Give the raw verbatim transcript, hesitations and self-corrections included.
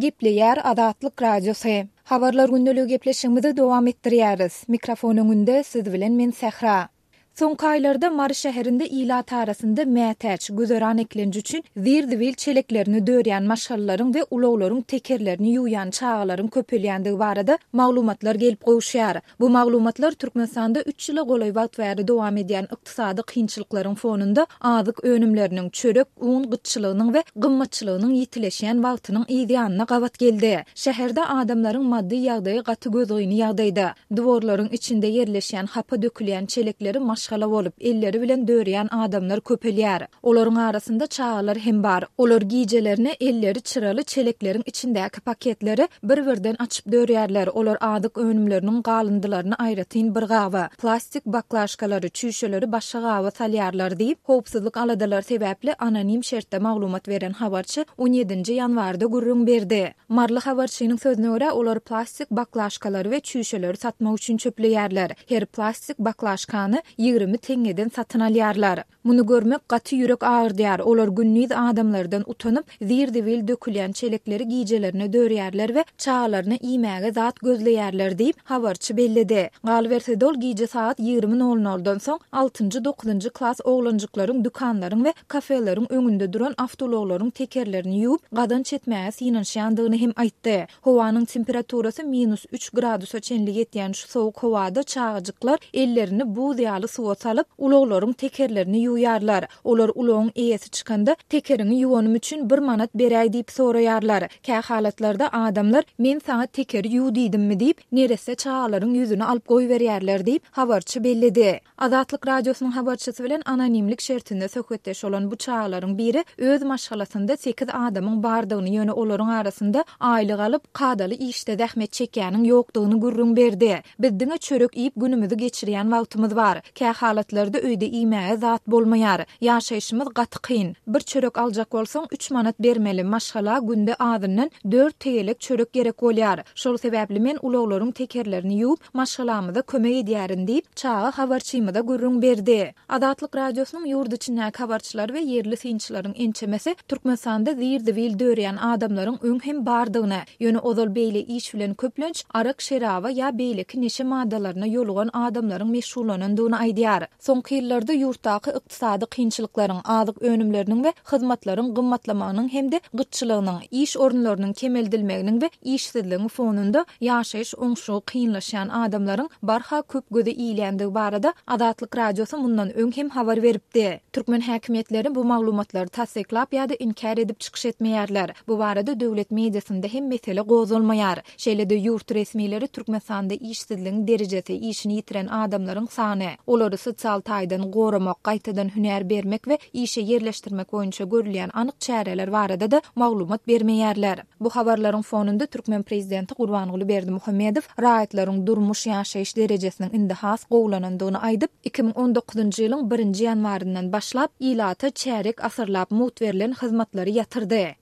Gepleýär Azatlyk Radiosy. Habarlar gündeligi gepleşigimizi dowam etdirýäris. Mikrofon öňünde siz bilen men Sähra. Soňky aýlarda Mary şäherinde ilat arasynda mätäç, güzeran eklenji üçin zir-zibil çeleklerini dörýän maşgalalaryň we ulaglaryň tekerlerini ýuwýan çagalaryň köpelýändigi barada maglumatlar gelip gowuşýar. Bu maglumatlar Türkmenistanda üç ýyla golaý wagt bäri dowam edýän ykdysady kynçylyklaryň fonunda azyk önümleriniň, çörek, un gytçylygynyň we gymmatçylygynyň ýitileşýän wagtynyň yz ýanyna gabat geldi. Şäherde adamlaryň maddy ýagdaýy gaty gözgyny ýagdaýda. Dworlaryň içinde ýerleşýän hapa dökülýän çelekleri maşgala bolup, elleri bilen dörýän adamlar köpelýär. Olaryň arasynda çagalar hem bar. Olar gijelerine elleri çyraly çelekleriň içindäki paketleri bir-birden açyp dörýärler. Olar azyk önümleriniň galyndylaryny aýratyn bir gaba, plastik baklaşkalary, çüýşeleri başga gaba salýarlar diýip, howpsuzlyk aladalary sebäpli anonim şertde maglumat beren habarçy on ýedinji ýanwarda gürrüň berdi. Maryly habarçynyň sözüne görä, olar plastik baklaşkalary we çüýşeleri satmak üçin çöpleýärler. Her plastik baklaşkany ýigrimi teňňeden satyn alýarlar. Muny görmek gaty ýürek agyrdýar. Olar gündiz adamlardan utanyp, zir-zibil dökülýän çelekleri gijelerine dörýärler we çagalaryna iýmäge zat gözleýärler diýip, habarçy belledi. Galyberse-de ol gije sagat ýigrimi nol noldan soň altynjy, dokuzynjy klas oglanjyklaryň dükanlaryň we kafeleriň öňünde duran awtoulaglaryň tekerlerini ýuwup, gazanç etmäge synanyşýandygyny hem aýtdy. Howanyň temperaturasy minus üç gradusa çenli ýetýän şu sowuk howada çagajyklar ellerini buz ýaly suwa salyp, ulaglaryň tekerlerini ýuwýarlar. Olar ulagyň eýesi çykanda, tekeriňi ýuwanym üçin bir manat beräý diýip soraýarlar. Kä halatlarda adamlar, men saňa tekeri ýuw diýdimmi diýip, neresse çagalaryň ýüzüni alyp goýberýärler diýip, habarçy belledi. Azatlyk Radiosynyň habarçysy bilen anonimlik şertinde söhbetdeş bolan bu çagalaryň biri öz maşgalasynda sekiz adamyň bardygyny, ýöne olaryň arasynda aýlyk alyp, kadaly işde zähmet çekýäniň ýokdugyny gürrüň berdi. Biz diňe çörek iýip günümizi geçirýän wagtymyz bar. Kä halatlarda öýde iýmäge zat bolmaýar. Ýaşaýşymyz gaty kyn. Bir çörek aljak bolsaň üç manat bermeli, maşgala günde azyndan dört tegelek çörek gerek bolýar. Şol sebäpli men ulaglaryň tekerlerini ýuwup, maşgalamyza kömek edýärin diýip, çaga habarçymyza gürrüň berdi. Azatlyk Radiosynyň ýurt içindäki habarçylary we ýerli synçylaryň ençemesi Türkmenistanda zir-zibil dörýän adamlaryň öň hem bardygyny, ýöne ozal beýle iş bilen köplenç arak şeraba ýa beýleki neşe maddalaryna ýolugan adamlaryň meşgullanandygyny aýdýar. Soňky ýyllarda ýurtdaky ykdysady kynçylyklaryň, azyk önümleriniň we hyzmatlaryň gymmatlamagynyň hem-de gytçylygynyň, iş orunlarynyň kemeldilmeginiň we işsizligiň fonunda ýaşaýyş oňşugy kynlaşýan adamlaryň barha köp göze iýilýändigi barada Azatlyk Radiosy mundan öň hem habar beripdi. Türkmen häkimiýetleri bu maglumatlary tassyklap ýa-da inkär edip çykyş etmeýärler. Bu barada döwlet mediasynda hem mesele gozgalmaýar. Şeýle-de ýurt resmileri Türkmenistanda işsizligiň derejesi, işini ýitiren adamlaryň sany, olary sosial taýdan goramak, gaýtadan hünär bermek we işe ýerleşdirmek boýunça görülýän anyk çäreler barada-da maglumat bermeýärler. Bu habarlaryň fonunda Türkmen prezidenti Gurbanguly Berdimuhamedow raýatlaryň durmuş ýaşaýyş derejesiniň indi has gowulanandygyny aýdyp, iki müň on dokuzynjy ýylyň birinji ýanwaryndan başlap ilata çärek asyrlap mugt berlen hyzmatlary ýatyrdy.